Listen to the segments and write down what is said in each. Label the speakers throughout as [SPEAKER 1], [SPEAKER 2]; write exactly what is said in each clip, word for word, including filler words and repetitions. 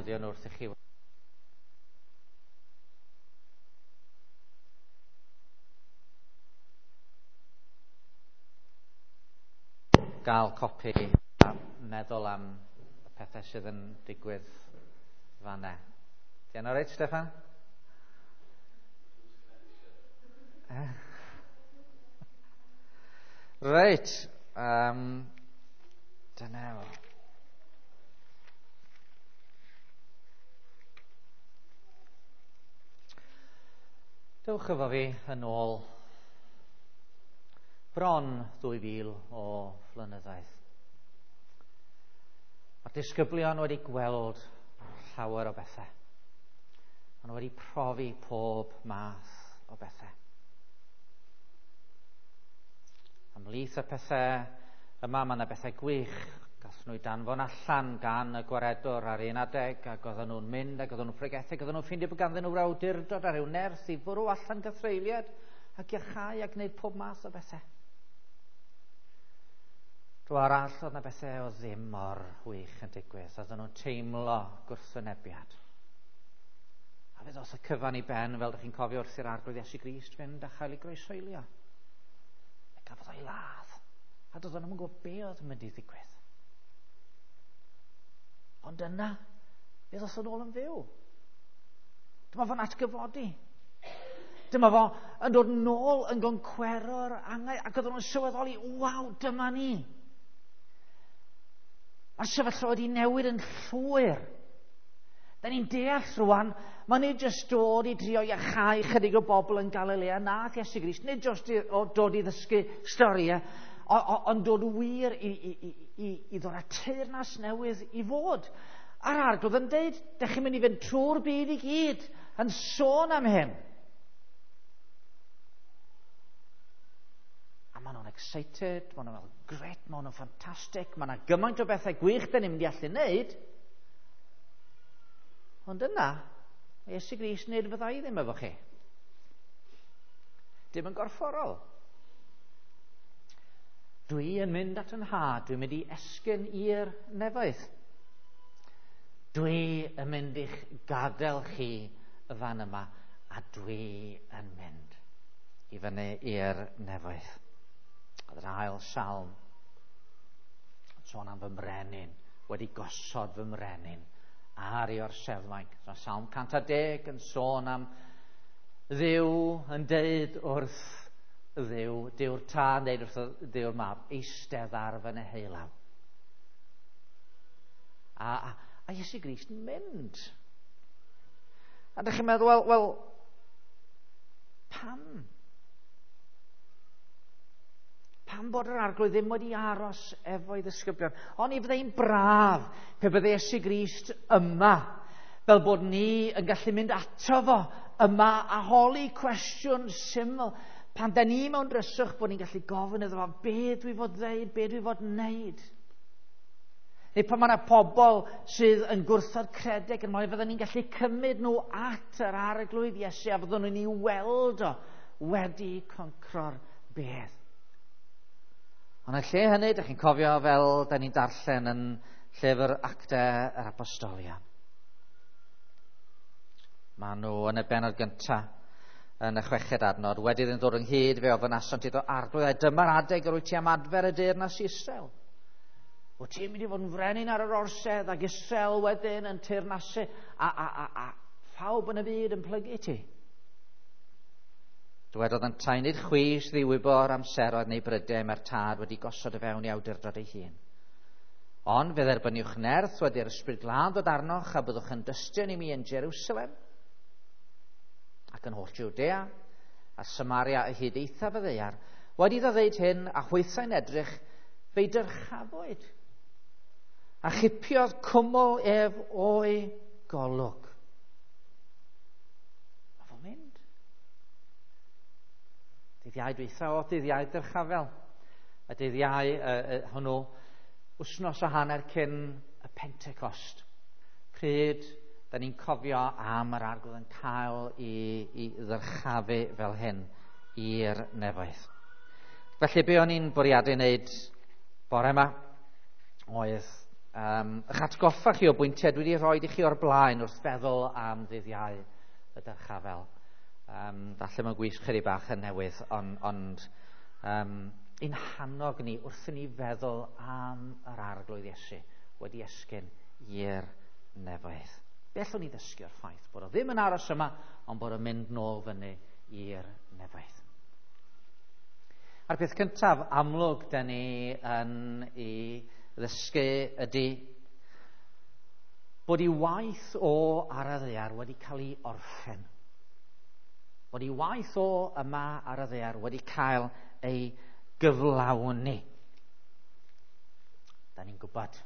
[SPEAKER 1] defnyddio nhw wrth i chi gael copi a meddwl am y pethau sydd yn digwydd fanna. Di yna reit, Steffan? Reit, um, dyna fo. Dewch efo fi yn ôl bron dwy fil o flynyddoedd. Mae'r disgyblion wedi gweld llawer o bethau. Maen nhw wedi profi pob math o bethau. Ymhlith y pethau yma, mae yna bethau gwych. Gath nhw danfon allan gan y gwaredwr ar un adeg, ac oedden nhw'n mynd, ac oedden nhw'n pregethu, ac oedden nhw'n ffeindio bod ganddyn nhw awdurdod a rhyw nerth i fwrw allan gythreuliad ac iachau a gwneud pob math o bethau. Dro arall, oedd yna bethau o ddim mor wych yn digwydd. Oedden nhw'n teimlo gwrthwynebiad. A fe ddoth y cyfan i ben, fel ydych chi'n cofio, wrth i'r Arglwydd Iesu Grist fynd a chael ei groeshoelio. Fe gafodd o'i ladd. A doedden nhw'n gwybod be oedd yn mynd i ddigwydd. Ond yna, fe ddoth yn ôl yn fyw. Dyma fo'n atgyfodi. Dyma fo yn dod nôl yn goncwero'r angau, ac oedden nhw'n sylweddoli, waw, dyma ni. Mae'r sefyllfa wedi newid yn llwyr. Da ni'n deall rwan, mae nid jyst dod i drio iachau chydig o bobl yn Galilea, nath Iesu Grist, nid jyst dod i ddysgu storiau, ond dod wir i, i, i, i ddod â teyrnas newydd i fod. A'r Arglwydd yn deud, dych chi'n mynd i fynd trwy'r byd i gyd yn sôn am hyn. A maen nhw'n excited, maen nhw'n meddwl, gret, maen nhw'n ffantastig, maen nhw'n gymaint o bethau gwych dyn ni'n mynd i allu wneud. Ond yna, mae Iesu Grist nid fyddai ddim efo chi. Dim yn gorfforol. Dwi yn mynd at yn nhad, dwi'n mynd i esgyn i'r nefoedd. Dwi yn mynd i'ch gadael chi y fan yma, a dwi yn mynd i fyny i'r nefoedd. Oedd yr ail salm yn sôn am fy mrenin, wedi gosod fy mrenin ar ei orseddfainc. So, Salm cant a deg yn sôn am Dduw yn deud wrth Dduw, Duw'r Tad yn deud wrth Dduw'r Mab, eistedd ar fy neheulaw. A, a, a Iesu Grist yn mynd. A dych chi'n meddwl, wel, wel, pam? Pam bod yr Arglwydd ddim wedi aros efo'i ddisgyblion? Ond i fyddai'n braf pe bydde Iesu Grist yma, fel bod ni yn gallu mynd ato fo yma a holi cwestiwn syml. Pan da ni mewn dryswch bod ni'n gallu gofyn iddo fo, be dwi fod ddeud, be dwi fod wneud? Neu pan mae yna pobl sydd yn gwrthod credeg yn moyn, fydden ni'n gallu cymryd nhw at yr Arglwydd Iesu a fyddwn nhw'n ei weld o wedi concro'r bedd. Ond yn lle hynny, dych chi'n cofio fel da ni'n darllen yn llyfr Actau yr Apostolion. Maen nhw yn y bennod gyntaf, yn y chweched adnod, wedi iddyn ddod ynghyd, fe ofynasant iddo, Arglwydd, ai dyma'r adeg yr wyt ti am adfer y deyrnas i Israel? Wyt ti'n mynd i fod yn frenin ar yr orsedd ac Israel wedyn yn teyrnasu a, a, a, a phawb yn y byd yn plygu ti? Dywedodd yntau, nid chwi sydd i wybod amseroedd neu brydau mae'r Tad wedi gosod y fewn i awdurdod ei hun. Ond fe dderbyniwch nerth wedi'r Ysbryd Glân ddod arnoch a byddwch yn dystion i mi yn Jerusalem ac yn holl Jwdea a Samaria a hyd eithaf y ddaear. Wedi iddo ddeud hyn a hwythau'n edrych, fe'i dyrchafwyd a chipiodd cwmwl ef o'i golwg. Mae fo'n mynd. Dydd Iau dwytha o dydd Iau dyrchafel. A dydd Iau uh, uh, hwnnw wythnos a hanner cyn y Pentecost. Pryd da ni'n cofio am yr Arglwydd yn cael i, i ddyrchafu fel hyn i'r nefoedd. Felly be o'n i'n bwriadu wneud bore yma oedd um, eich atgoffa chi o bwyntiau dwi wedi rhoi i chi o'r blaen wrth feddwl am ddydd Iau y Dyrchafel. Um, falle mae'n gwisg chydig bach yn newydd, ond on, um, ein hannog ni wrth i ni feddwl am yr Arglwydd Iesu wedi esgyn i'r nefoedd. Be allwn ni ddysgu o'r ffaith bod o ddim yn aros yma, ond bod o'n mynd nôl fyny i'r nefoedd. A'r peth cyntaf amlwg da ni yn ei ddysgu ydy bod ei waith o ar y ddaear wedi cael ei orffen. Bod ei waith o yma ar y ddaear wedi cael ei gyflawni. Da ni'n gwybod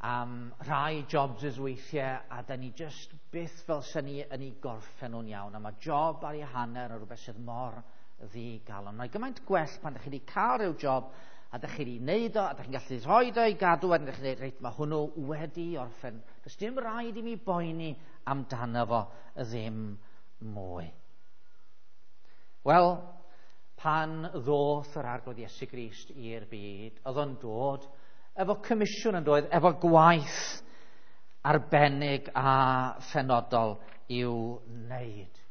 [SPEAKER 1] am rhai jobs weithiau, a da ni just byth fel sy'n ni yn ei gorffen nhw'n iawn. A mae job ar ei hanner yn rhywbeth sydd mor ddigalon. Mae gymaint gwell pan ydych chi wedi cael rhyw job a ydych chi wedi wneud o, a ydych chi'n gallu rhoi o i gadw, a ydych chi'n dweud, reit, mae hwnnw wedi orffen. Does dim rhaid i mi boeni amdano fo ddim mwy. Wel, pan ddoth yr Arglwydd Iesu Grist i'r byd, oedd o'n dod efo comisiwn yn dod, efo gwaith arbennig a phenodol i'w wneud.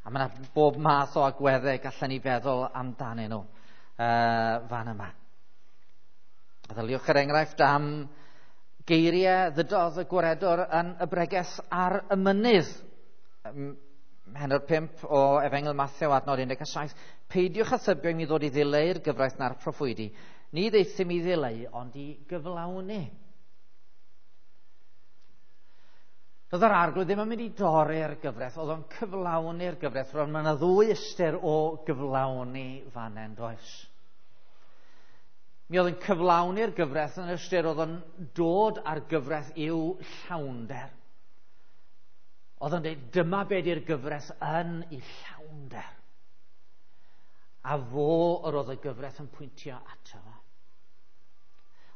[SPEAKER 1] A mae yna bob math o agweddau gallen ni feddwl amdanyn nhw uh, fan yma. Meddyliwch er enghraifft am geiriau ddydodd y gwaredwr yn y bregeth ar y mynydd. Pennod pump o Efengyl Mathew adnod un deg saith. Peidiwch â thybio i mi ddod i ddileu'r gyfraith na'r proffwydi. Ni ddaethum i ddileu, ond i gyflawni. Doedd yr Arglwydd ddim yn mynd i dorri'r gyfraith, oedd o'n cyflawni'r gyfraith. Roedd yna ddwy ystyr o gyflawni fan hyn, does? Mi oedd yn cyflawni'r gyfraith yn ystyr oedd o'n dod â'r gyfraith i'w llawnder. Oedd o'n dweud, dyma be di'r gyfraith yn ei llawnder. A fo yr oedd y gyfraith yn pwyntio ato fo.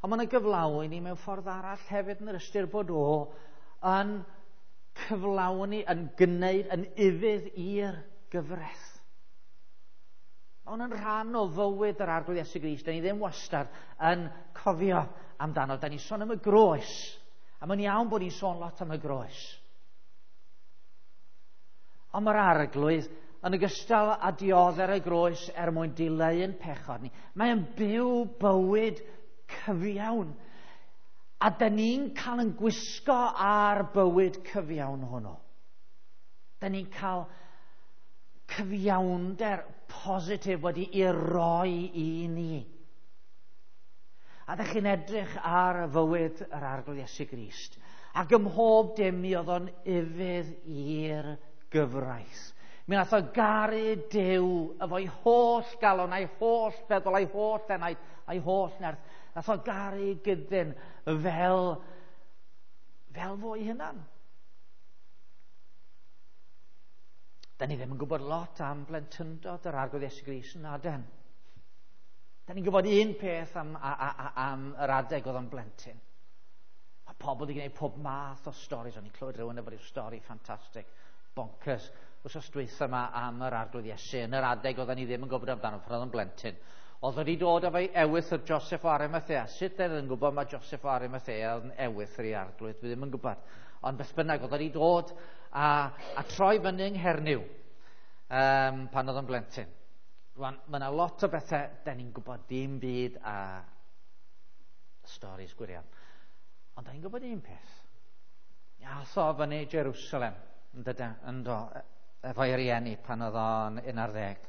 [SPEAKER 1] Ond mae'n gyflawni mewn ffordd arall hefyd yn yr ystyr bod o yn cyflawni, yn gwneud, yn ufudd i'r gyfraith. Mae hwn yn rhan o fywyd yr Arglwydd Iesu Grist. Da ni ddim wastad yn cofio amdano. Da ni'n sôn am y groes. A mae'n iawn bod ni'n sôn lot am y groes. Ond mae'r Arglwydd yn ogystal â dioddef y groes er mwyn dileu'n pechod ni, mae'n byw bywyd cyfiawn. A da ni'n cael yn gwisgo ar bywyd cyfiawn hwnnw. Da ni'n cael cyfiawnder positif wedi ei roi i ni. A da chi'n edrych ar fywyd yr Arglwydd Iesu Grist. Ac ym mhob dim mi oedd o'n ufudd i'r gyfraith. Mi nath o garu Duw efo'i holl galon, a'i holl feddwl, a'i holl enaid, a'i holl nerth. Nath o garu gyddyn fel, fel fo'i hunan. Da ni ddim yn gwybod lot am blentyndod yr Arglwydd Iesu Grist yn aden. Da ni'n gwybod un peth am, a, a, a, am yr adeg oedd o'n blentyn. Mae pobl wedi gwneud pob math o storis. O'n i'n clywed rhywun efo rhyw stori ffantastig, bonkers, wsos dwytha yma am yr Arglwydd Iesu. Yn yr adeg oedden ni ddim yn gwybod amdano pan oedd o'n blentyn. Oedd wedi dod efo'i ewythr Joseph o Arimathea. Sut oedd yn gwybod mae Joseph o Arimathea oedd yn ewythr i Arglwydd? Dwi ddim yn gwybod. Ond beth bynnag, oedd wedi dod a, a troi fyny yng Nghernyw um, pan oedd yn blentyn. Rwan, mae yna lot o bethau da ni'n gwybod dim byd a storis gwirion. Ond da ni'n gwybod un peth. Ath o fyny Jerusalem, yn dyda, yndo, efo'i rieni pan oedd o'n un ar ddeg.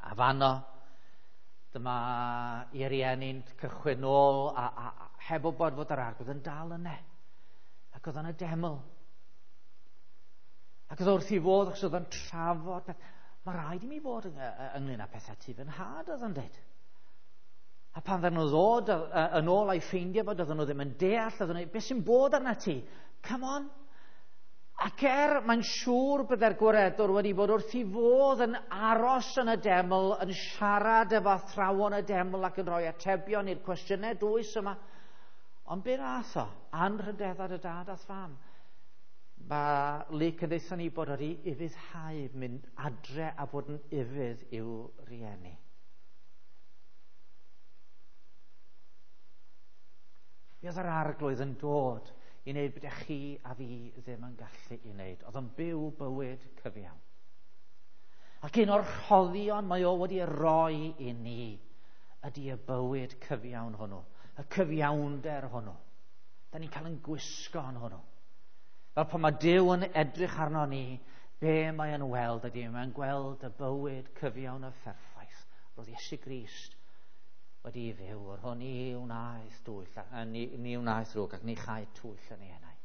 [SPEAKER 1] A fanno, dyma i rieni'n cychwyn nôl a, a, a heb wybod fod yr Arglwydd yn dal yna. Ac oedd o'n y deml. Ac oedd wrth i fod, achos oedd o'n trafod peth. Mae rhaid i mi fod ynglyn â pethau tu fy nhad, oedd o'n dweud. A pan ddaru nhw ddod yn ôl a'i ffeindio fod, oedden nhw ddim yn deall, oedden nhw, beth sy'n bod arna ti? Come on. Ac er mae'n siŵr byddai'r gwaredwr wedi bod wrth i fodd yn aros yn y deml, yn siarad efo athrawon y deml ac yn rhoi atebion i'r cwestiynau dwys yma. Ond be nath o? Anrhydedda dy dad a'th fam. Mae Luc yn deutha ni bod wedi ufuddhau, mynd adre a bod yn ufudd i'w rieni. Mi oedd yr Arglwydd yn dod i wneud beth chi a fi ddim yn gallu i wneud. Oedd o'n byw bywyd cyfiawn. Ac un o'r rhoddion mae o wedi roi i ni ydy y bywyd cyfiawn hwnnw, y cyfiawnder hwnnw. Da ni'n cael yn gwisgo yn hwnnw. Fel pan mae Duw yn edrych arno ni, be mae yn weld ydy, mae'n gweld y bywyd cyfiawn y pherffaith. Roedd Iesu Grist wedi ei fyw, yr hwn ni wnaeth dwyll, ni, ni wnaeth ddrwg ac ni chaed twyll yn ei enau.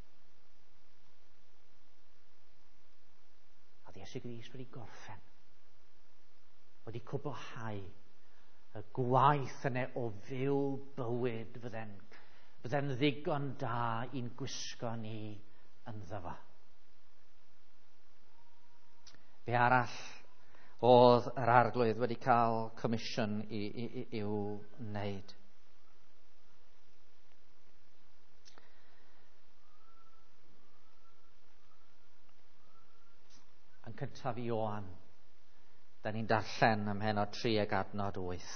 [SPEAKER 1] A Iesu Grist wedi gorffen, wedi cwblhau y gwaith yna o fyw bywyd fydde'n, fydde'n ddigon da i'n gwisgo ni ynddo fo. Be arall oedd yr Arglwydd wedi cael comisiwn i, i, i, i'w wneud? Yn cyntaf Ioan, da ni'n darllen ym mhennod tri ag adnod wyth.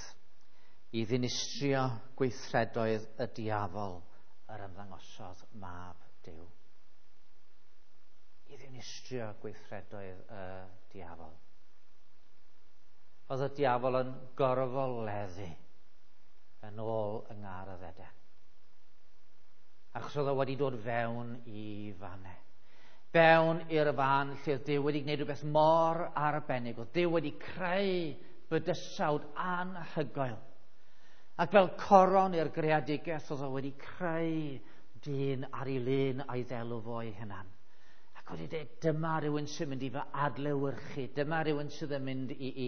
[SPEAKER 1] I ddinistrio gweithredoedd y diafol yr ymddangosodd mab Duw. I ddinistrio gweithredoedd y diafol. Oedd y diafol yn gorfoleddu yn ôl yng Ngardd Eden. Achos oedd o wedi dod fewn i fanne. Fewn i'r fan lle oedd Duw wedi gwneud rhywbeth mor arbennig. Oedd Duw wedi creu bydysawd anhygoel. Ac fel coron i'r greadigaeth oedd o wedi creu dyn ar ei lun a'i ddelw fo ei hunan. Ac wedi dweud, dyma rhywun sy'n mynd i fy adlewyrchu, dyma rhywun sydd yn mynd i, i,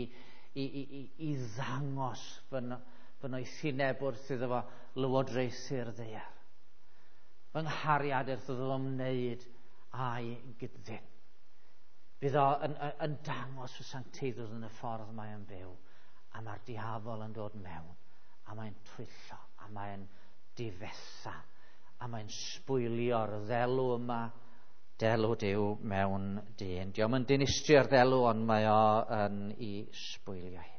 [SPEAKER 1] i, i, i, i ddangos fy, fy noethineb wrth iddo fo lywodraethu'r ddaear. Fy nghariad wrth iddo fo wneud a'i gyddyn. Bydd o yn, yn, yn dangos fy sancteiddrwydd yn y ffordd mae yn byw, a mae'r diafol yn dod mewn, a mae'n twyllo, a mae'n difetha, a mae'n sbwylio'r ddelw yma, delw Duw mewn dyn. Dio'm yn dinistrio'r ddelw, ond mae o yn ei sbwylio hi.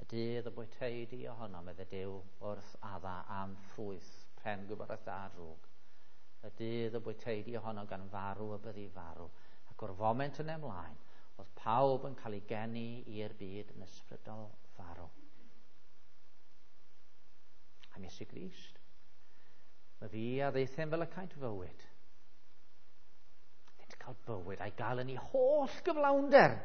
[SPEAKER 1] Y dydd y bwytei di ohono, medde Duw wrth Adda am ffrwyth pren gwybodaeth da a drwg. Y dydd y bwytei di ohono gan farw y byddi farw. Ac o'r foment yn ymlaen, oedd pawb yn cael ei geni i'r byd yn ysbrydol farw. Am Iesu Grist, mae fi a ddeithem fel y caent fywyd. Iddynt cael bywyd a'i gael yn ei holl gyflawnder.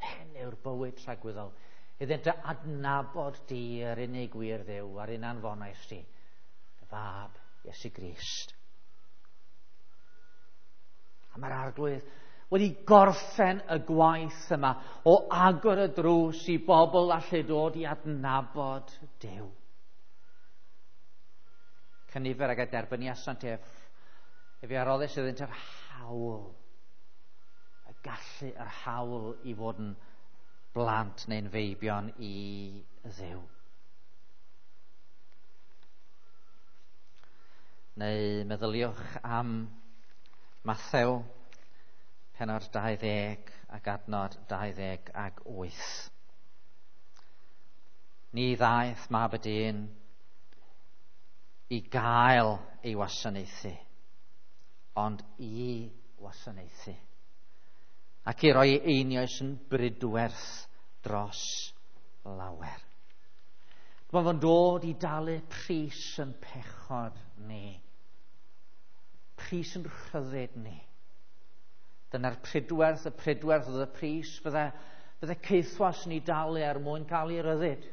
[SPEAKER 1] Hyn yw'r bywyd tragwyddol. Iddynt adnabod di yr unig wir Dduw a'r un anfonais di, dy fab Iesu Grist. A mae'r Arglwydd wedi gorffen y gwaith yma o agor y drws i bobl allu dod i adnabod Duw. Cynifer ag a derbyniasant ef, ef i aroddes iddynt yr hawl, y gallu yr hawl i fod yn blant neu'n feibion i Dduw. Neu meddyliwch am Mathew, pennod dau ddeg ac adnod dau ddeg ac wyth. Ni ddaeth mab y dyn i gael ei wasanaethu, ond i wasanaethu, ac i roi einioes yn brydwerth dros lawer. Mae fo'n dod i dalu pris yn pechod ni, pris yn rhyddid ni. Dyna'r pridwerth, y pridwerth oedd y pris fydde, fydde caethwas ni dalu er mwyn cael ei ryddid.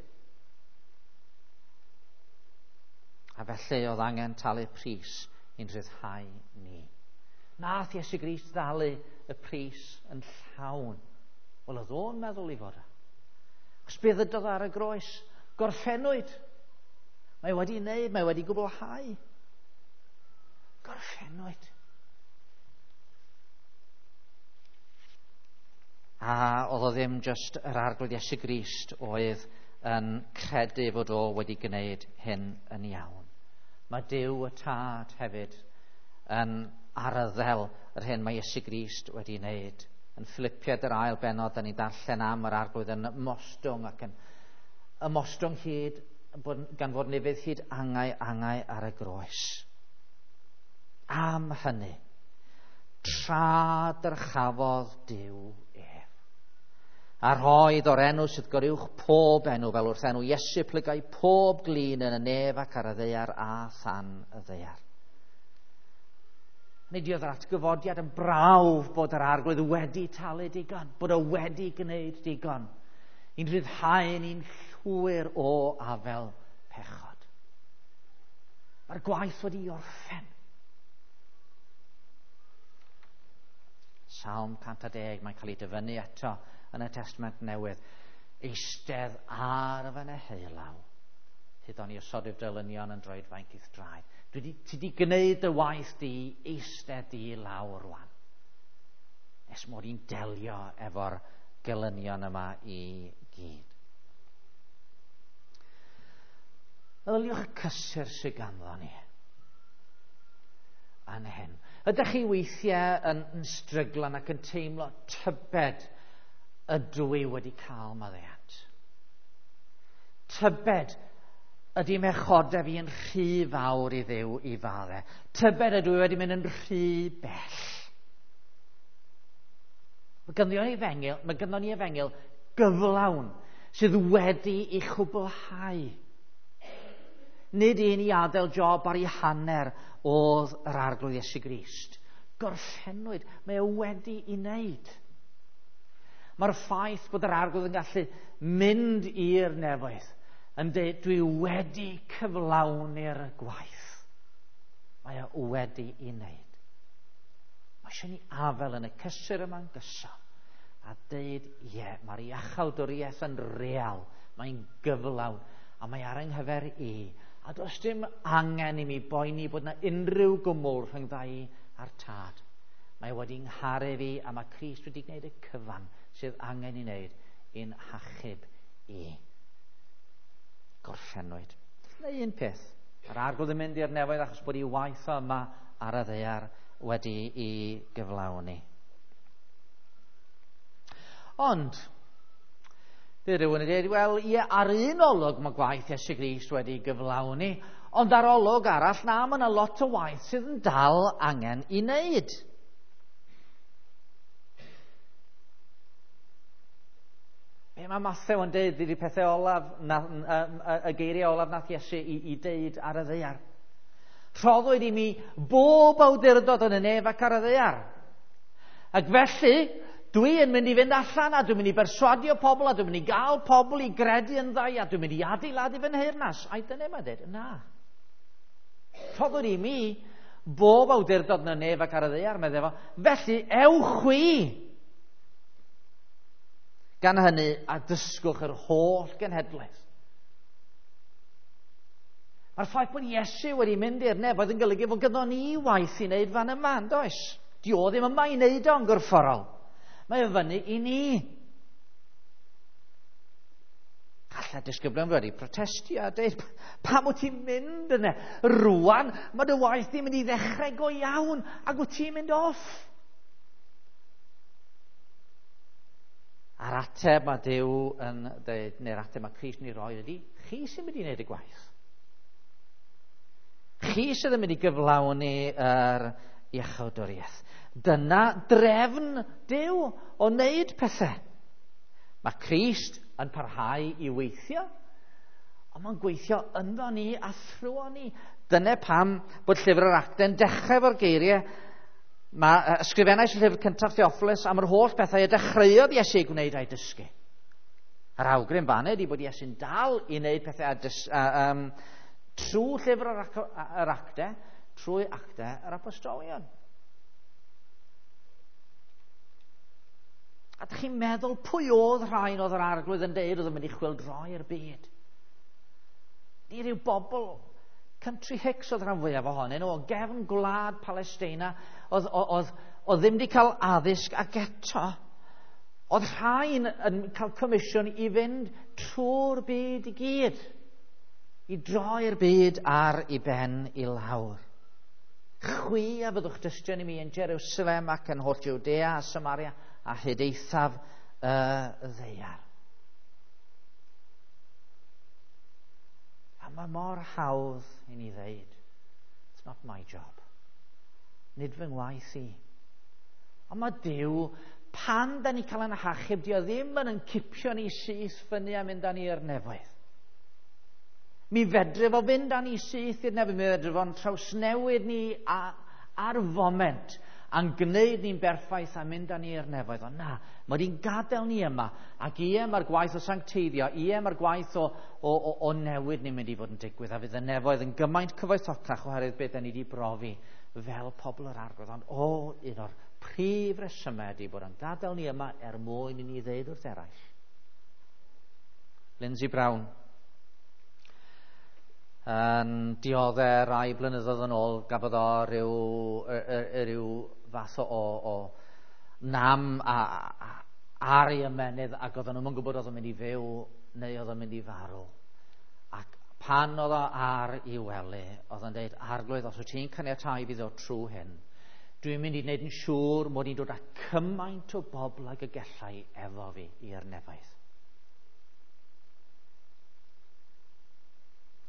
[SPEAKER 1] A felly oedd angen talu pris i'n rhyddhau ni. Nath Iesu Grist ddalu y pris yn llawn. Wel, oedd o'n meddwl i fod. Achos be ddydodd ar y groes? Gorffennwyd. Mae wedi wneud, mae wedi gwblhau. Gorffennwyd. A oedd o ddim just yr Arglwydd Iesu Grist oedd yn credu fod o wedi gwneud hyn yn iawn. Mae Duw y Tad hefyd yn arddel yr hyn mae Iesu Grist wedi wneud Yn Philippiaid yr ail bennod, da ni'n darllen am yr Arglwydd yn ymostwng ac yn ymostwng hyd, gan fod nefydd hyd angau angau ar y groes. Am hynny, tra dyrchafodd Duw ef. A rhoedd o'r enw sydd goruwch pob enw, fel wrth enw Iesu plygai pob glin yn y nef ac ar y ddaear a than y ddaear. Nid oedd yr atgyfodiad yn brawf bod yr Arglwydd wedi talu digon, bod o wedi gwneud digon, i'n rhyddhau ni'n llwyr o afel pechod. Mae'r gwaith wedi orffen. Salm cant a deg, mae'n cael ei dyfynnu eto yn y Testament Newydd. Eistedd ar fy neheulaw, hyd o'n i osodif dylynion yn droedfainc i'th draed. Dwi di, ti di gwneud dy waith di, eistedd di lawr rwan. Nes mod i'n delio efo'r gelynion yma i gyd. Meddyliwch y cysur sydd ganddo ni yn hyn. Ydych chi weithiau yn, yn stryglan ac yn teimlo tybed ydw i wedi cael maddeuant? Tybed ydy mechodau fi yn rhy fawr i Dduw i fadde? Tybed ydw i wedi mynd yn rhy bell? Mae ganddo ni efengyl, mae ganddo ni efengyl gyflawn sydd wedi ei chwblhau. Nid un i adael job ar ei hanner oedd yr Arglwydd Iesu Grist. Gorffennwyd, mae o wedi ei wneud. Mae'r ffaith bod yr Arglwydd yn gallu mynd i'r nefoedd yn dweud, dwi wedi cyflawni'r gwaith. Mae o wedi ei wneud. Mae eisiau ni afel yn y cysur yma'n gyson a dweud, ie, mae'r iachawdwriaeth yn real, mae'n gyflawn, a mae ar yng nghyfer i. A does dim angen i mi boeni bod yna unrhyw gwmwl rhyngdda i a'r Tad. Mae wedi ngharu fi a mae Crist wedi gwneud y cyfan sydd angen i wneud i'n hachub i. Gorffennwyd. Neu un peth. Mae'r Arglwydd yn mynd i'r nefoedd achos bod ei waith o yma ar y ddaear wedi ei gyflawni. Ond, bydd rhywun yn dweud, wel, ie, ar un olwg mae gwaith Iesu Grist wedi gyflawni, ond ar olwg arall, na, mae yna lot o waith sydd yn dal angen i wneud. Be mae Mathew yn deud ydy'r pethau olaf, na, y, y, y geiriau olaf nath Iesu i, i deud ar y ddaear. Rhoddwyd i mi bob awdurdod yn y nef ac ar y ddaear. Ac felly, dwi yn mynd i fynd allan a dwi'n mynd i berswadio pobl a dwi'n mynd i gael pobl i gredu yn ddau a dwi'n mynd i adeiladu fy nheyrnas. Ai dyna mae'n dweud? Na. Rhoddwyd i mi bob awdurdod yn y nef ac ar y ddaear, meddai fo. Felly, ewch chwi. Gan hynny, a dysgwch yr holl genhedlaeth. Mae'r ffaith bod Iesu wedi mynd i'r nefoedd yn golygu fod ganddo ni waith i wneud fan yma, yn does? Di o ddim yma i wneud o'n gorfforol. Mae o fyny i ni. Alla disgyblion wedi protestio a dweud, pam wyt ti'n mynd yna? Rwan, mae dy waith di'n mynd i ddechrau go iawn ac wyt ti'n mynd off. A'r ateb mae Duw yn dweud, neu'r ateb mae Crist yn ei roi ydy, chi sy'n mynd i wneud y gwaith. Chi sydd yn mynd i gyflawni yr iachawdwriaeth. Dyna drefn Duw o wneud pethau. Mae Crist yn parhau i weithio, ond mae'n gweithio ynddo ni a thrwon ni. Dyna pam bod llyfr yr Actau'n dechrau efo'r geiriau. Mae ysgrifennais y llyfr cyntaf Theophilus am yr holl bethau y dechreuodd Iesu ei gwneud a'i dysgu. Yr awgrym fan ydy bod Iesu'n dal i wneud pethau a dys, a, um, trwy llyfr yr, ac, yr Actau, trwy Actau yr Apostolion. A dych chi'n meddwl pwy oedd rhain oedd yr Arglwydd yn deud oedd yn mynd i chwyldroi'r byd? Ni ryw bobl country hicks oedd rhan fwyaf ohonyn nhw, o gefn gwlad Palesteina, oedd, oedd, oedd ddim wedi cael addysg, ac eto, oedd rhain yn cael comisiwn i fynd trwy'r byd i gyd, i droi'r byd ar ei ben i lawr. Chwi a fyddwch dystion i mi yn Jerusalem ac yn holl Jwdea a Samaria a hyd eithaf y ddaear. A mae mor hawdd i ni ddeud, it's not my job. Nid fy ngwaith i. Ond mae Duw, pan da ni cael ein hachub, di o ddim yn yn cipio ni syth fyny a mynd â ni i'r nefoedd. Mi fedre fo fynd â ni syth i'r nefoedd, mi fedre fo'n trawsnewid ni a, ar foment, a'n gwneud ni'n berffaith a mynd â ni i'r nefoedd. Ond na, mae wedi'n gadael ni yma, ac ie mae'r gwaith o sancteiddio, ie mae'r gwaith o, o, o, o newid ni'n mynd i fod yn digwydd, a fydd y nefoedd yn gymaint cyfoethocach oherwydd beth da ni wedi brofi fel pobl yr Arglwydd. Ond o, un o'r prif resymau ydy bod yn gadael ni yma er mwyn i ni ddeud wrth eraill. Lindsay Brown yn dioddef rai blynyddoedd yn ôl, gafodd o ryw, ryw fath o, o, o nam a, a, ar ei ymennydd, ac oedden nhw'n gwybod oedd o'n mynd i fyw neu oedd o'n mynd i farw. Ac pan oedd o ar ei wely, oedd o'n dweud, Arglwydd, os wyt ti'n caniatáu fi ddod trwy hyn, dwi'n mynd i wneud yn siŵr mod i'n dod â cymaint o bobl ag y gallai efo fi i'r nefoedd.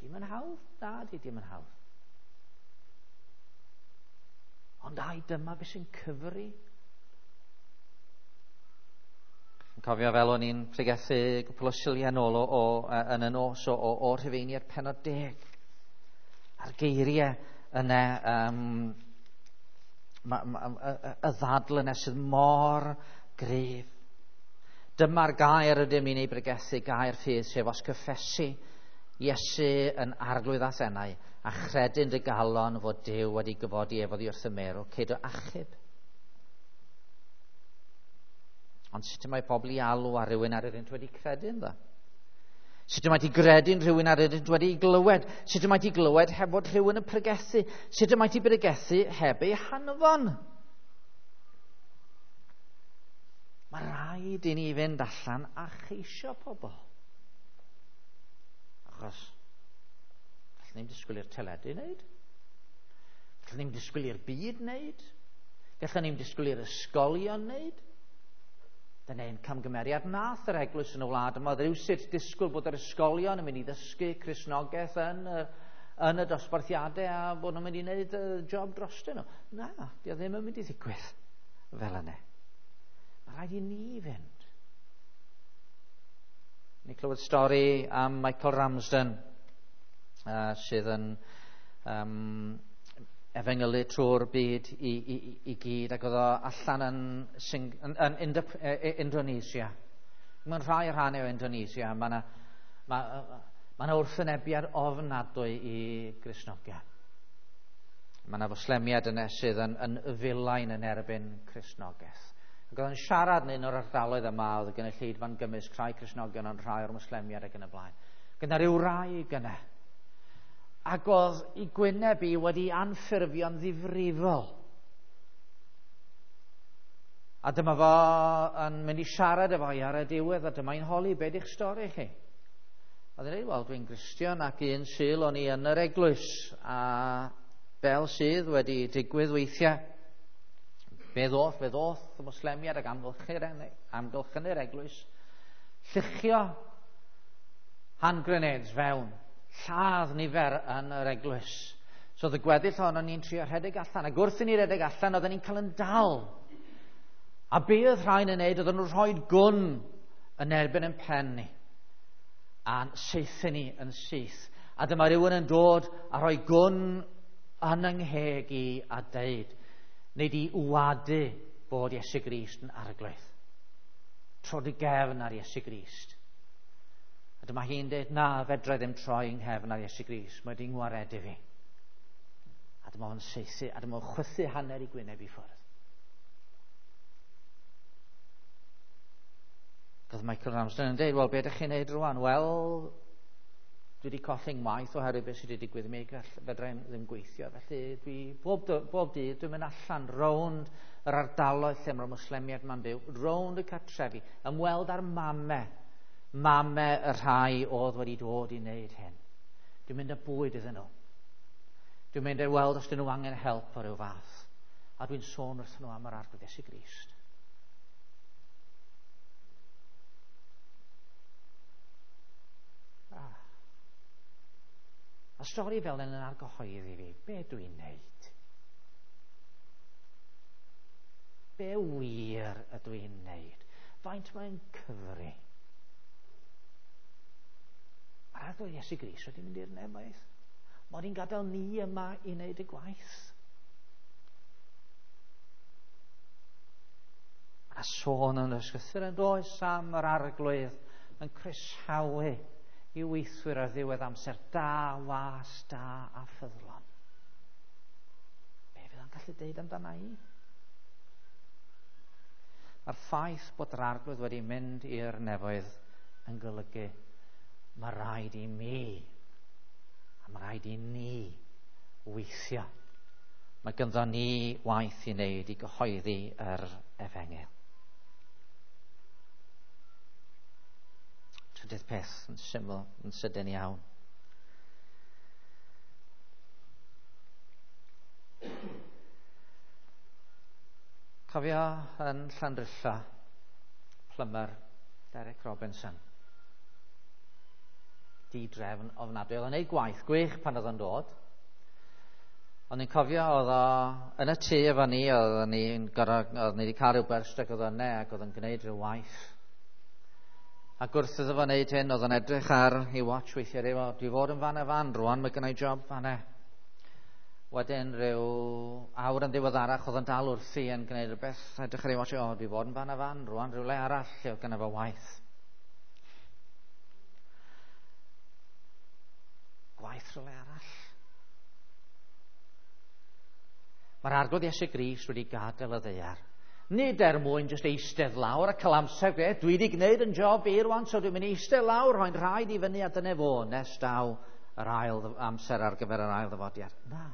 [SPEAKER 1] Dim yn hawdd? Na, di dim yn hawdd. Ond ai, dyma beth sy'n cyfri. Yn cofio fel o'n i'n pregethu gwpl o Suliau nôl o, o, yn y nos o, o, o Rhufeiniaid pennod deg. A'r geiriau yna, um, ma, ma, y, y ddadl yna sydd mor gryf. Dyma'r gair ydym ni'n ei bregethu, gair ffydd, sef os cyffesu Iesu yn arglwydd a'th enau, a chredu'n dy galon fod Duw wedi gyfodi ef oddi wrth y meirw, cei dy achub. Ond sut y mae pobl i alw ar rhywun ar iddynt wedi credu ynddo? Sut y mae di gredu'n rhywun ar iddynt wedi glywed? Sut y mae di glywed heb fod rhywun yn pregethu? Sut y mae di pregethu heb ei hanfon? Mae rhaid i ni fynd allan a cheisio pobl. Achos gallwn ni'm disgwyl i'r teledu wneud. Gallwn ni'm disgwyl i'r byd wneud. Gallwn ni'm disgwyl i'r ysgolion wneud. Dyna un camgymeriad nath yr eglwys yn y wlad yma. Oedd rhywsut disgwyl bod yr ysgolion yn mynd i ddysgu Cristnogaeth yn y, yn y dosbarthiadau a bod nhw'n mynd i wneud y job drostyn nhw. Na, di o ddim yn mynd i ddigwydd fel yna. Mae rhaid i ni fynd. Ni clywed stori am Michael Ramsden, uh, sydd yn um, efengylu trwy'r byd i, i, i gyd, ac oedd o allan yn, Sing, yn, yn Indo, Indonesia. Mewn rhai rhannau o Indonesia, mae yna ma, ma ma wrthwynebiad ofnadwy i Gristnogion. Mae yna Fwslemiaid yna sydd yn, yn filain yn erbyn Cristnogaeth. Ac oedd yn siarad yn un o'r ardaloedd yma, oedd y gynulleidfa'n gymysg, rhai Cristnogion ond rhai o'r Mwslemiaid ac yn y blaen. Gyda rhyw wraig yna. Ac oedd ei gwyneb i wedi anffurfio'n ddifrifol. A dyma fo yn mynd i siarad efo hi ar y diwedd, a dyma hi'n holi, be di'ch stori chi? A dweud, wel, dwi'n Gristion ac un Sul o'n i yn yr eglwys, a fel sydd wedi digwydd weithiau, fe ddoth, fe ddoth y Mwslemiaid ac amgylchynu'r eglwys, lluchio hand grenades fewn, lladd nifer yn yr eglwys. So oedd y gweddill ohonon ni'n trio rhedeg allan, ac wrth i ni redeg allan, oedden ni'n cael yn dal. A be oedd rhain yn neud, oedden nhw'n rhoi gwn yn erbyn yn pen ni, a'n saethu ni yn syth. A dyma rhywun yn dod a rhoi gwn yn yng ngheg i a deud, neu di wadu bod Iesu Grist yn arglwydd. Tro dy gefn ar Iesu Grist. A dyma hi'n deud, na, fedra i ddim troi yng nghefn ar Iesu Grist, mae di'n ngwaredu fi. A dyma fo'n saethu, a dyma fo'n chwythu hanner i gwyneb i ffwrdd. Oedd Michael Ramsden yn deud, wel, be ydych chi'n neud rwan? Wel, dwi wedi colli ngwaith oherwydd beth sydd wedi digwydd i mi, fedra i ddim gweithio. Felly, dwi, bob, bob dydd, dwi'n mynd allan rownd yr ardaloedd lle mae'r Mwslemiaid ma'n byw, rownd y cartrefi, ymweld â'r mame, mame y rhai oedd wedi dod i wneud hyn. Dwi'n mynd â bwyd iddyn nhw. Dwi'n mynd i weld os dyn nhw angen help o ryw fath. A dwi'n sôn wrthyn nhw am yr Arglwydd Iesu Grist. Ah. A stori fel yn argyhoeddi fi, be dwi'n neud? Be wir ydw i'n neud? Faint mae'n cyfri? Mae'r Arglwydd Iesu Grist wedi mynd i'r nefoedd. Mae wedi'n gadael ni yma i wneud y gwaith. Mae yna sôn yn y ysgrythur yn does am yr Arglwydd yn croesawu i weithwyr ar ddiwedd amser, da, was, da a ffyddlon. Be fydd o'n gallu deud amdana i? Mae'r ffaith bod yr Arglwydd wedi mynd i'r nefoedd yn golygu mae rhaid i mi a mae rhaid i ni weithio. Mae ganddo ni waith i wneud i gyhoeddi yr efengyl. Trydydd peth yn syml, yn sydyn iawn. Cofio yn Llandrillo, plumber Derek Robinson. Di-drefn ofnadwy. Oedd o'n gwneud gwaith gwych pan oedd o'n dod. Ond ni'n cofio oedd o yn y tŷ efo ni, oedd ni'n gorfod, oedd ni wedi cael rhyw byrst ac oedd o'n ne, ac oedd o'n gwneud rhyw waith. Ac wrth iddo fo wneud hyn, oedd o'n edrych ar ei watch weithiau, dweud, dwi fod yn fan a fan rwan, mae gynna i job fan e. Wedyn rhyw awr yn ddiweddarach, oedd o'n dal wrthi yn gwneud rhywbeth, edrych ar ei watch, o, dwi fod yn fan a fan rwan, rhywle arall lle oedd gynna fo waith. Gwaith rhywle arall. Mae'r Arglwydd Iesu Grist wedi gadael y ddaear. Nid er mwyn jyst eistedd lawr a cael amser, dwi wedi gwneud yn job i rwan, so dwi'n mynd i eistedd lawr, rhoi'n rhaid i fyny a dyna fo, nes daw yr ail amser ar gyfer yr ail ddyfodiad. Na.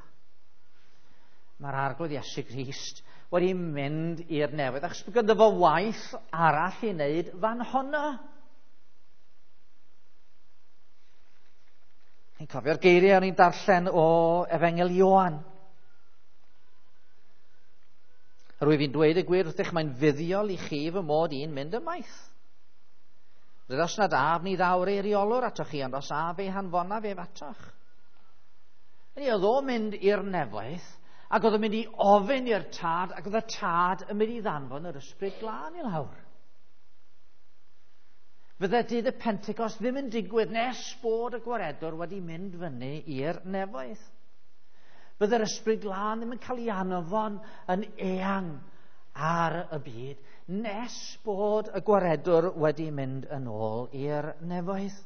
[SPEAKER 1] Mae'r Arglwydd Iesu Grist wedi mynd i'r nefoedd, achos bod ganddo fo waith arall i wneud fan honno. Ni'n cofio'r geiriau o'n i'n darllen o Efengyl Ioan. Rwyf fi'n dweud y gwir wrthych, mae'n fuddiol i chi fy mod i'n mynd ymaith. Rydych os nad af ni ddawr eiriolwr atoch chi, ond os af ei hanfonaf ef atoch. Hynny oedd o'n mynd i'r nefoedd, ac oedd o'n mynd i ofyn i'r tad, ac oedd y tad yn mynd i ddanfon yr Ysbryd Glân i lawr. Fydde dydd y Pentecost ddim yn digwydd nes bod y Gwaredwr wedi mynd fyny i'r nefoedd. Bydde'r Ysbryd Glân ddim yn cael ei anfon yn eang ar y byd nes bod y Gwaredwr wedi mynd yn ôl i'r nefoedd.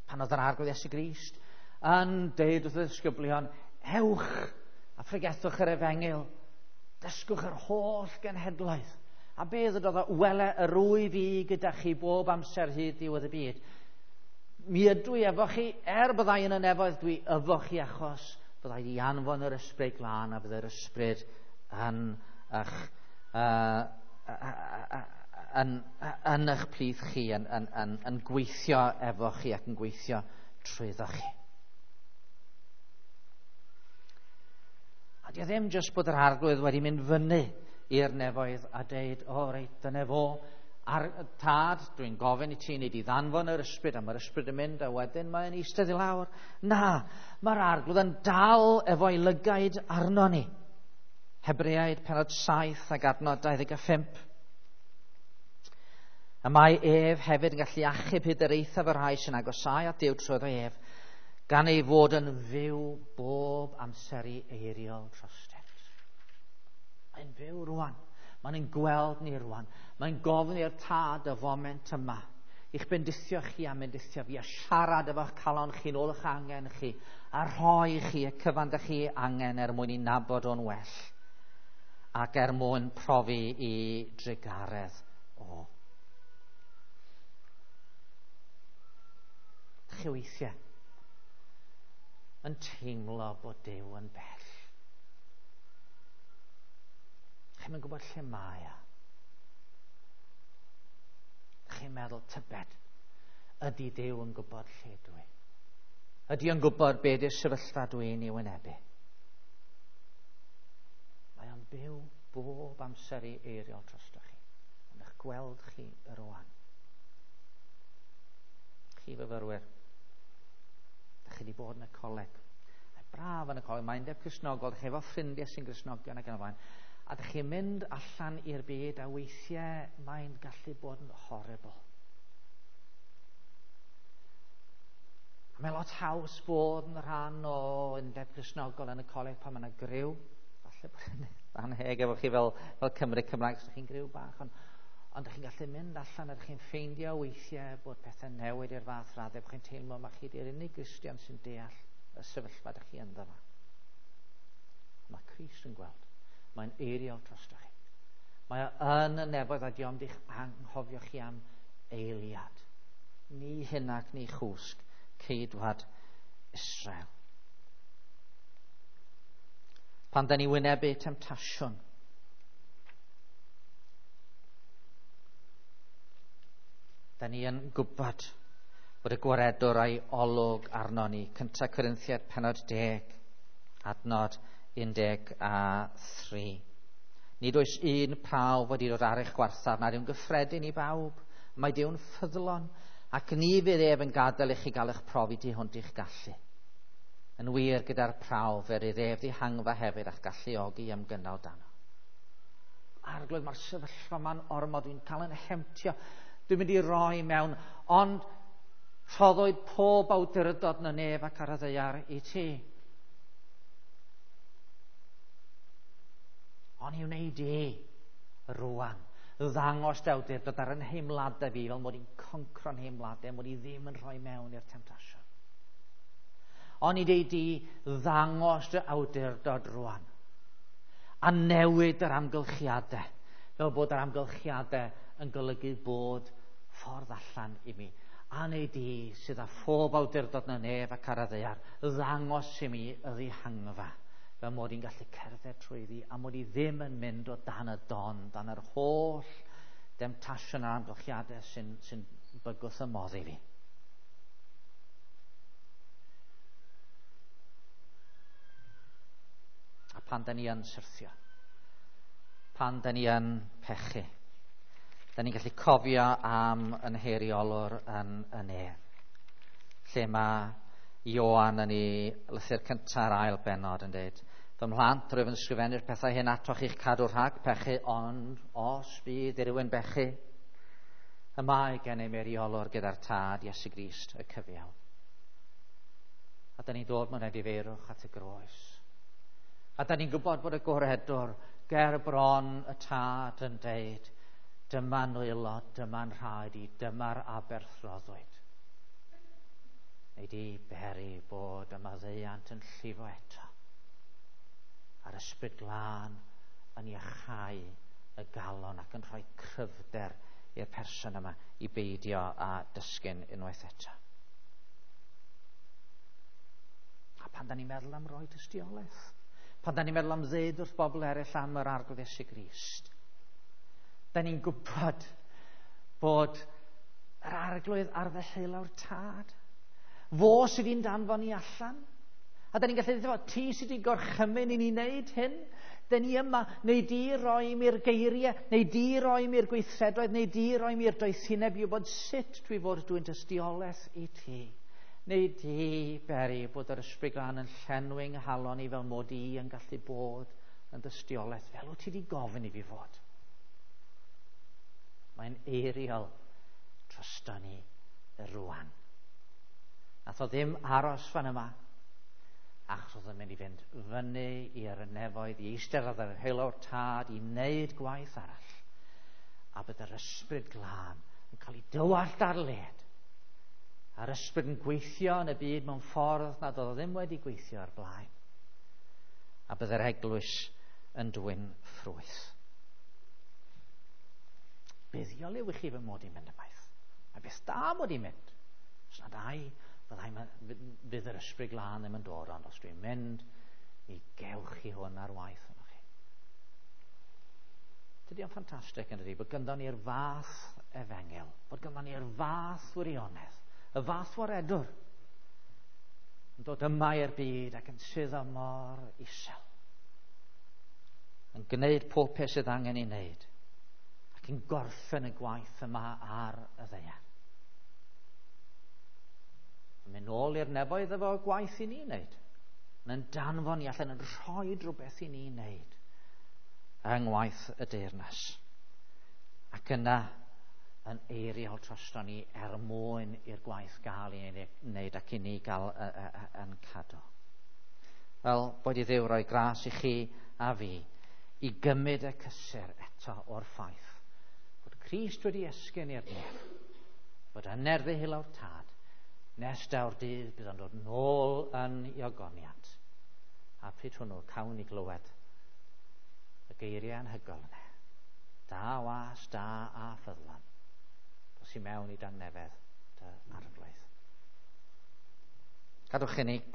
[SPEAKER 1] Pan oedd yr Arglwydd Iesu Grist yn deud wrth y ddisgyblion, ewch a phregethwch yr efengyl, dysgwch yr holl genhedloedd. A be ddydodd o, wele yr wyf i gyda chi bob amser hyd ddiwedd y byd. Mi ydw i efo chi, er byddai yn y nefoedd, dwi efo chi achos byddai i anfon yr Ysbryd Glân a byddai'r Ysbryd yn eich, uh, yn, yn eich plith chi, yn, yn, yn, yn gweithio efo chi ac yn gweithio trwyddo chi. A di o ddim jyst bod yr Arglwydd wedi mynd fyny i'r nefoedd a deud, o reit, dyna fo, a'r tad, dwi'n gofyn i ti, nid i ddanfon yr Ysbryd, a mae'r Ysbryd yn mynd, a wedyn mae'n eistedd i lawr. Na, mae'r Arglwydd yn dal efo'i lygaid arno ni. Hebreaid pennod saith ac adnod dau ddeg a phump. A mae ef hefyd yn gallu achub hyd yr eithaf y rhai sy'n agosáu at Duw trwyddo ef, gan ei fod yn fyw bob amser i eiriol drostynt. Mae'n fyw rwan. Mae'n gweld ni rwan. Mae'n gofyn i'r tad y foment yma. I'ch bendithio chi a bendithio fi, a siarad efo'ch calon chi nôl eich angen chi, a rhoi chi y cyfan dych chi angen er mwyn i nabod o'n well, ac er mwyn profi i drugaredd o. Dych chi weithiau yn teimlo bod Duw yn bell. Chi'm yn gwybod lle mae o. Chi'n meddwl, tybed, ydy Duw yn gwybod lle dwi? Ydy o'n gwybod be di'r sefyllfa dwi'n ei wynebu? Mae o'n byw bob amser i eiriol drostoch chi. Yn eich gweld chi rwan. Chi fyfyrwyr, da chi wedi bod yn y coleg. Mae braf yn y coleg, mae undeb Cristnogol, da chi efo ffrindiau sy'n Gristnogion ac yn y blaen. A da chi'n mynd allan i'r byd a weithiau mae'n gallu bod yn horrible. A mae lot haws bod yn rhan o undeb Cristnogol yn y coleg pan mae yna griw. Falle bod yn anheg efo chi fel, fel Cymru Cymraeg, os ydych chi'n griw bach. Ond, ond ydych chi'n gallu mynd allan a ydych chi'n ffeindio weithiau bod pethau'n newid i'r fath raddau, bod chi'n teimlo mae chi di'r unig Gristion sy'n deall y sefyllfa ydych chi ynddo fo. Mae Crist yn gweld. Mae'n eiriol drostoch chi. Mae o yn y nefoedd a di ond i'ch anghofio chi am eiliad. Ni hyn ac ni chwsg, ceidwad Israel. Pan da ni wynebu temtasiwn, da ni yn gwybod bod y gwaredwr a'i olwg arno ni. Cynta Corinthiaid pennod deg, adnod un deg a thri. Nid oes un prawf wedi dod ar eich gwarthaf, nad yw'n gyffredin i bawb. Mae Duw'n ffyddlon, ac ni fydd ef yn gadael i chi gael eich profi tu hwnt i'ch gallu. Yn wir, gyda'r prawf, er iddo ef ddihangfa hefyd a'ch galluogi ymgynnal dano. Arglwydd, mae'r sefyllfa ma'n ormod, dwi'n cael yn hemtio, dwi'n mynd i roi mewn, ond rhoddwyd pob awdurdod yn y nef ac ar y ddaear i ti. Ond i wneud i rwan, ddangos dy awdurdod ar yn nheimladau fi, fel mod i'n concro'n nheimladau, mod i ddim yn rhoi mewn i'r temtasiwn. Ond i deud di ddangos dy awdurdod rwan, a newid yr amgylchiadau, fel bod yr amgylchiadau yn golygu bod ffordd allan i mi. A neu di sydd â phob awdurdod yn y nef ac ar y ddaear, ddangos i mi y ddihangfa, fel mod i'n gallu cerdded trwyddi, a mod i ddim yn mynd o dan y don, dan yr holl demtasiwn a'r amgylchiadau sy'n, sy'n bygwth y modd i fi. A pan da ni yn syrthio, pan da ni yn pechu, da ni'n gallu cofio am yn heiriolwr yn y nef, lle mae Ioan yn ei lythyr cynta'r ail bennod yn dweud, fy mhlant, rwyf yn ysgrifennu'r pethau hyn atoch i'ch cadw rhag pechu, ond os bydd i rywun bechu, y mae gennym eiriolwr gyda'r Tad, Iesu Grist, y cyfiawn. A da ni'n dod mewn edifeirwch at y groes. A da ni'n gwybod bod y goredwr ger bron y Tad yn deud, dyma nwylo, dyma'n rhaid i, dyma'r aberth roddwyd. Neu di beri bod y maddeuant yn llifo eto. A'r ysbryd glân yn iachau y galon ac yn rhoi cryfder i'r person yma i beidio a dysgu'n unwaith eto. A pan da ni'n meddwl am roi tystiolaeth, pan da ni'n meddwl am ddeud wrth bobl eraill am yr Arglwydd Iesu Grist, da ni'n gwybod bod yr Arglwydd ar ddeheulaw'r Tad. Fo sydd i'n danfon ni allan. A da ni'n gallu dweud, ti sydd wedi gorchymyn i ni wneud hyn. Da ni yma, neu di roi mi'r geiriau, neu di roi mi'r gweithredoedd, neu di roi mi'r doethineb i wybod sut dwi fod dwi'n tystiolaeth i ti. Neu di beri bod yr ysbryd glân yn llenwi nghalon i fel mod i yn gallu bod yn dystiolaeth, fel wyt ti wedi gofyn i fi fod. Mae'n eiriol drosto ni rwan. Nath o ddim aros fan yma, achos oedd yn mynd i fynd fyny i'r nefoedd, i eistedd ar yr heulawr Tad, i wneud gwaith arall. A bydd yr ysbryd glân yn cael ei dywallt ar led. A'r ysbryd yn gweithio yn y byd mewn ffordd nad oedd o ddim wedi gweithio ar blaen. A bydd yr eglwys yn dwyn ffrwyth. Buddiol yw i chi fy mod i'n mynd ymaith. Mae beth da mod i'n mynd. Os nad ai, fyddai, fydd yr ysbryd glân ddim yn dod, ond os dwi'n mynd, mi gewch chi hwn ar waith yno chi. Dydy o'n ffantastig yn dydy, bod ganddo ni'r fath efengyl, bod ganddo ni'r fath wirionedd, y fath waredwr, Yn dod yma i'r byd ac yn suddo mor isel. Yn gwneud pob peth sydd angen ei wneud. Ac yn gorffen y gwaith yma ar y ddaear. Yn mynd nôl i'r nefoedd efo gwaith i ni wneud. Mae'n danfon ni allan, yn rhoi rhywbeth i ni wneud yng ngwaith y deyrnas. Ac yna yn eiriol drosto ni er mwyn i'r gwaith gael ei wneud ac i ni gael yn cadw. Wel, boed i Dduw roi gras i chi a fi i gymryd y cysur eto o'r ffaith bod Crist wedi esgyn i'r nef, bod yn ddeheullaw'r Tad, nes daw'r dydd bydd o'n dod nôl yn ei ogoniant. A pryd hwnnw cawn ni glywed y geiriau anhygoel yna. Da was, da a ffyddlon. Dos i mewn i dangnefedd dy arglwydd. Gadwch i ni